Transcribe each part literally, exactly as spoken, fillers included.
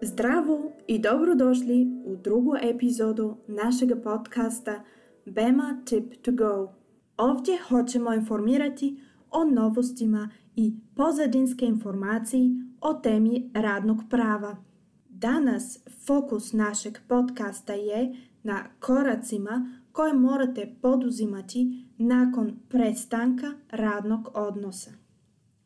Zdravo i dobrodošli u drugu epizodu našega podcasta Bema Tip to Go. Ovdje hoćemo informirati o novostima i pozadinske informacije o temi radnog prava. Danas fokus našeg podcasta je na koracima koje morate poduzimati nakon prestanka radnog odnosa.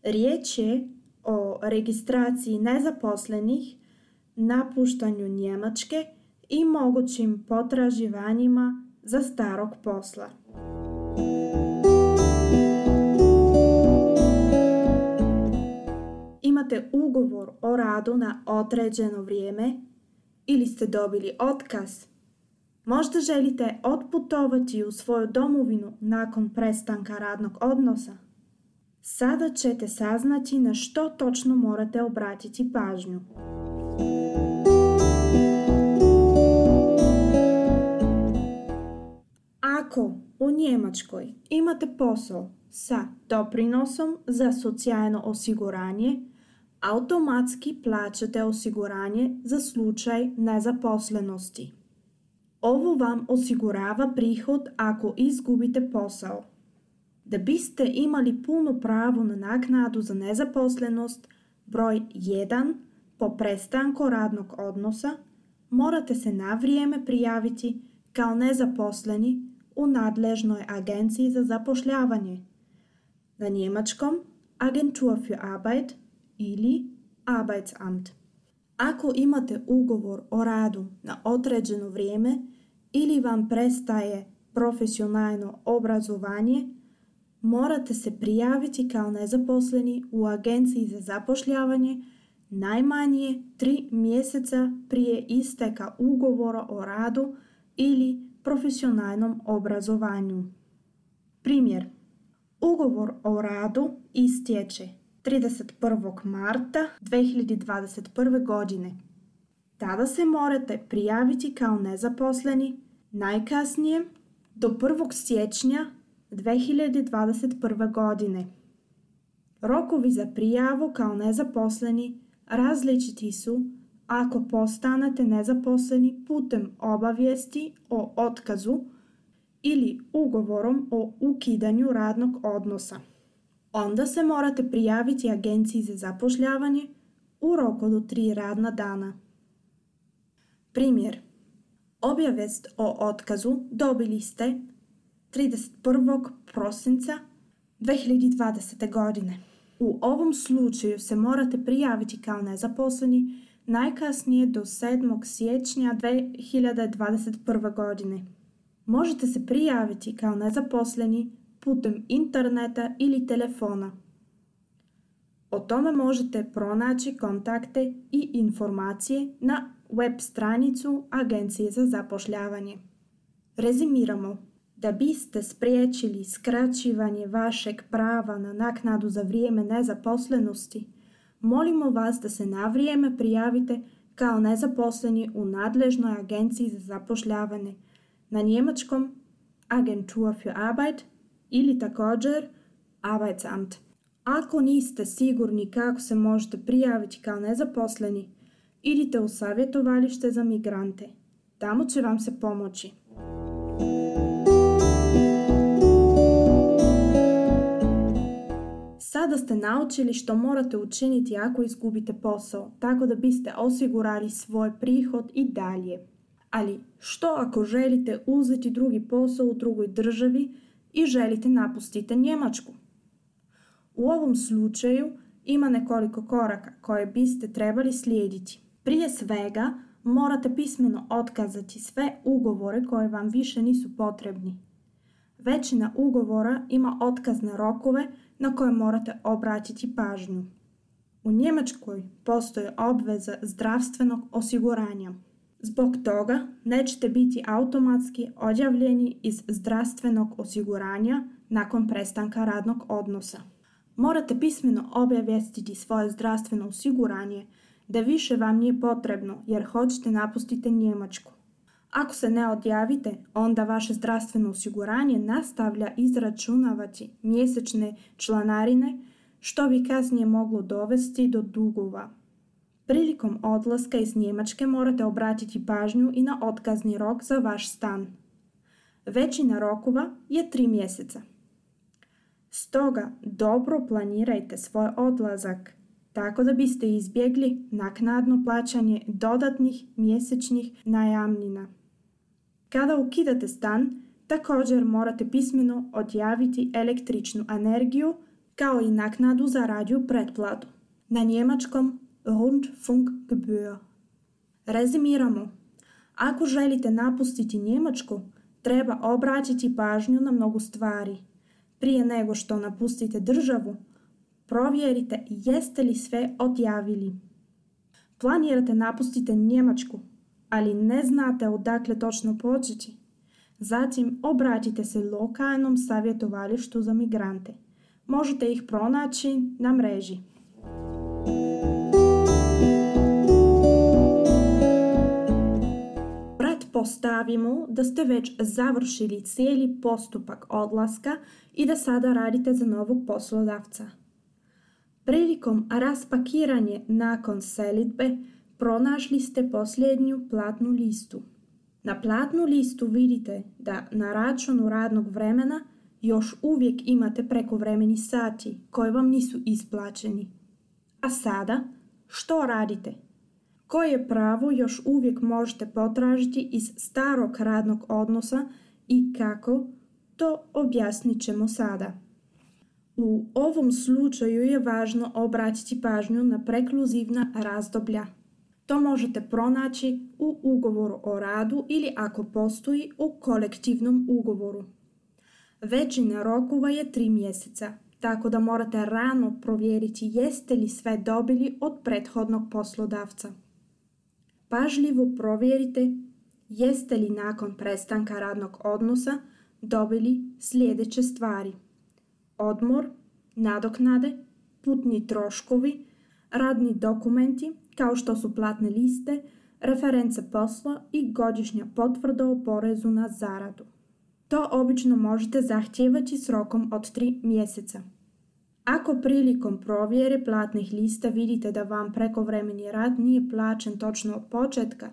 Riječ je o registraciji nezaposlenih, napuštanju Njemačke i mogućim potraživanjima za starog posla. Imate ugovor o radu na određeno vrijeme ili ste dobili otkaz? Možda želite otputovati u svoju domovinu nakon prestanka radnog odnosa? Sada ćete saznati na što točno morate obratiti pažnju. Ako u Njemačkoj imate posao sa doprinosom za socijalno osiguranje, automatski plaćate osiguranje za slučaj nezaposlenosti. Ovo vam osigurava prihod ako izgubite posao. Da biste imali puno pravo na naknadu za nezaposlenost, broj jedan, po prestanku radnog odnosa, morate se na vrijeme prijaviti kao nezaposleni u nadležnoj agenciji za zapošljavanje, na njemačkom Agentur für Arbeit ili Arbeitsamt. Ako imate ugovor o radu na određeno vrijeme ili vam prestaje profesionalno obrazovanje, morate se prijaviti kao nezaposleni u agenciji za zapošljavanje najmanje tri mjeseca prije isteka ugovora o radu ili profesionalnom obrazovanju. Primjer. Ugovor o radu istječe trideset prvog marta dvije hiljade dvadeset prve. godine. Tada se morate prijaviti kao nezaposleni najkasnije do prvog siječnja dvije hiljade dvadeset prve. godine. Rokovi za prijavu kao nezaposleni različiti su ako postanete nezaposleni putem obavijesti o otkazu ili ugovorom o ukidanju radnog odnosa. Onda se morate prijaviti agenciji za zapošljavanje u roku do tri radna dana. Primjer. Obavijest o otkazu dobili ste trideset prvog prosinca dvije hiljade dvadesete. godine. U ovom slučaju se morate prijaviti kao nezaposleni najkasnije do sedmog siječnja dvije hiljade dvadeset prve. godine. Možete se prijaviti kao nezaposleni putem interneta ili telefona. O tome možete pronaći kontakte i informacije na web stranicu Agencije za zapošljavanje. Rezimiramo. Da biste spriječili skraćivanje vašeg prava na naknadu za vrijeme nezaposlenosti, molimo vas da se na vrijeme prijavite kao nezaposleni u nadležnoj agenciji za zapošljavanje, na njemačkom Agentur für Arbeit ili također Arbeitsamt. Ako niste sigurni kako se možete prijaviti kao nezaposleni, idite u savjetovalište za migrante. Tamo će vam se pomoći. Sada ste naučili što morate učiniti ako izgubite posao, tako da biste osigurali svoj prihod i dalje. Ali što ako želite uzeti drugi posao u drugoj državi i želite napustiti Njemačku? U ovom slučaju ima nekoliko koraka koje biste trebali slijediti. Prije svega morate pismeno otkazati sve ugovore koje vam više nisu potrebni. Većina ugovora ima otkazne rokove na koje morate obratiti pažnju. U Njemačkoj postoji obveza zdravstvenog osiguranja. Zbog toga nećete biti automatski odjavljeni iz zdravstvenog osiguranja nakon prestanka radnog odnosa. Morate pismeno obavijestiti svoje zdravstveno osiguranje da više vam nije potrebno jer hoćete napustiti Njemačku. Ako se ne odjavite, onda vaše zdravstveno osiguranje nastavlja izračunavati mjesečne članarine, što bi kasnije moglo dovesti do dugova. Prilikom odlaska iz Njemačke morate obratiti pažnju i na otkazni rok za vaš stan. Većina rokova je tri mjeseca. Stoga dobro planirajte svoj odlazak, tako da biste izbjegli naknadno plaćanje dodatnih mjesečnih najamnina. Kada ukidate stan, također morate pismeno odjaviti električnu energiju kao i naknadu za radio pretplatu. Na njemačkom Rundfunkgebühr. Rezimiramo. Ako želite napustiti Njemačku, treba obratiti pažnju na mnogo stvari. Prije nego što napustite državu, provjerite jeste li sve odjavili. Planirate napustiti Njemačku, ali ne znate odakle točno početi. Zatim obratite se lokalnom savjetovalištu za migrante. Možete ih pronaći na mreži. Pretpostavimo da ste već završili cijeli postupak odlaska i da sada radite za novog poslodavca. Prilikom raspakiranja nakon selidbe pronašli ste posljednju platnu listu. Na platnu listu vidite da na računu radnog vremena još uvijek imate prekovremeni sati koji vam nisu isplaćeni. A sada, što radite? Koje pravo još uvijek možete potražiti iz starog radnog odnosa i kako, to objasnit ćemo sada. U ovom slučaju je važno obratiti pažnju na prekluzivna razdoblja. To možete pronaći u ugovoru o radu ili ako postoji u kolektivnom ugovoru. Većina rokova je tri mjeseca, tako da morate rano provjeriti jeste li sve dobili od prethodnog poslodavca. Pažljivo provjerite jeste li nakon prestanka radnog odnosa dobili sljedeće stvari: odmor, nadoknade, putni troškovi, radni dokumenti kao što su platne liste, reference posla i godišnja potvrda o porezu na zaradu. To obično možete zahtijevati s rokom od tri mjeseca. Ako prilikom provjere platnih lista vidite da vam prekovremeni rad nije plaćen točno od početka,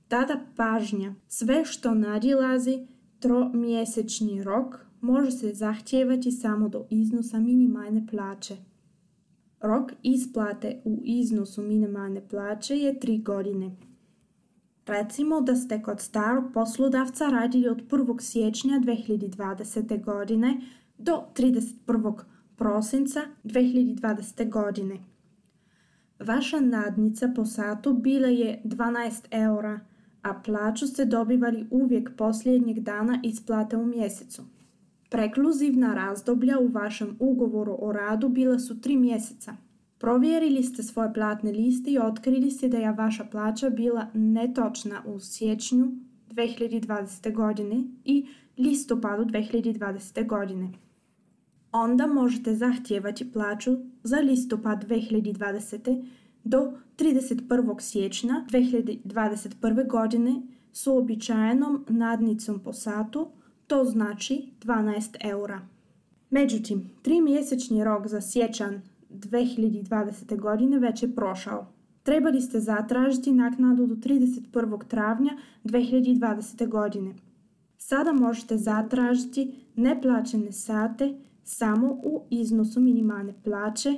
tada pažnja. Sve što nadilazi tromjesečni rok može se zahtijevati samo do iznosa minimalne plaće. Rok isplate u iznosu minimalne plaće je tri godine. Recimo da ste kod starog poslodavca radili od prvog siječnja dvije hiljade dvadesete godine do trideset prvog prosinca dvije hiljade dvadesete godine. Vaša nadnica po satu bila je dvanaest eura, a plaću ste dobivali uvijek posljednjeg dana isplate u mjesecu. Prekluzivna razdoblja u vašem ugovoru o radu bila su tri mjeseca. Provjerili ste svoje platne liste i otkrili ste da je vaša plaća bila netočna u siječnju dvije hiljade dvadesete godine i listopadu dvije hiljade dvadesete godine. Onda možete zahtijevati plaću za listopad dvije hiljade dvadesete do trideset prvog siječnja dvije hiljade dvadeset prve godine s uobičajenom nadnicom po satu, to znači dvanaest eura. Međutim, trimjesečni rok za siječanj dvije hiljade dvadesete godine već je prošao. Trebali ste zatražiti naknadu do trideset prvog travnja dvije hiljade dvadesete godine. Sada možete zatražiti neplaćene sate samo u iznosu minimalne plaće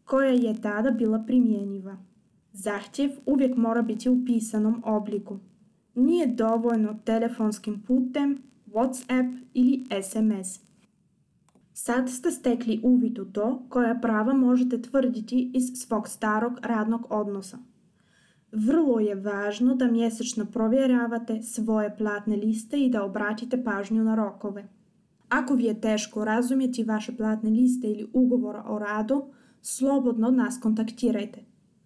koja je tada bila primjenjiva. Zahtjev uvijek mora biti u pisanom obliku. Nije dovoljno telefonskim putem, WhatsApp ili S M S. Sad ste stekli uvid u to koja prava možete tvrditi iz svog starog radnog odnosa. Vrlo je važno da mjesečno provjeravate svoje platne liste i da obratite pažnju na rokove. Ako vi je teško razumjeti vaše platne liste ili ugovora o radu, slobodno nas kontaktirajte.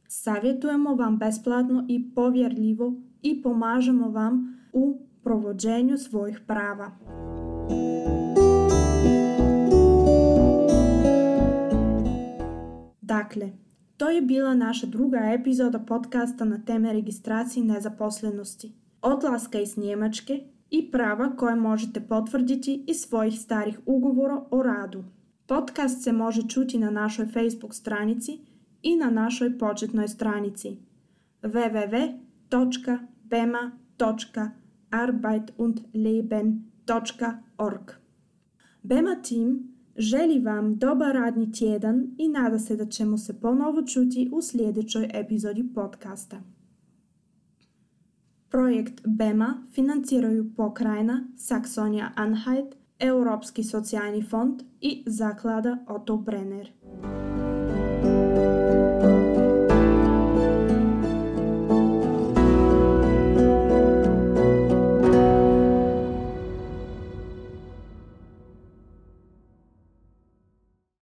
Savjetujemo vam besplatno i povjerljivo i pomažemo vam u provođenju svojih prava. Dakle, to je bila naša druga epizoda podcasta na teme registracije nezaposlenosti. odlaska iz Njemačke i prava koje možete potvrditi iz svojih starih ugovora o radu. Podcast se može čuti na našoj Facebook stranici i na našoj početnoj stranici w w w točka bema točka arbeit und leben točka org. Bema Team želi vam dobar radni tjedan i nada se da ćemo se ponovo čuti u sljedećoj epizodi podcasta. Projekt Bema financiraju pokrajina Saksonija-Anhalt, Europski socijalni fond i zaklada Otto Brenner.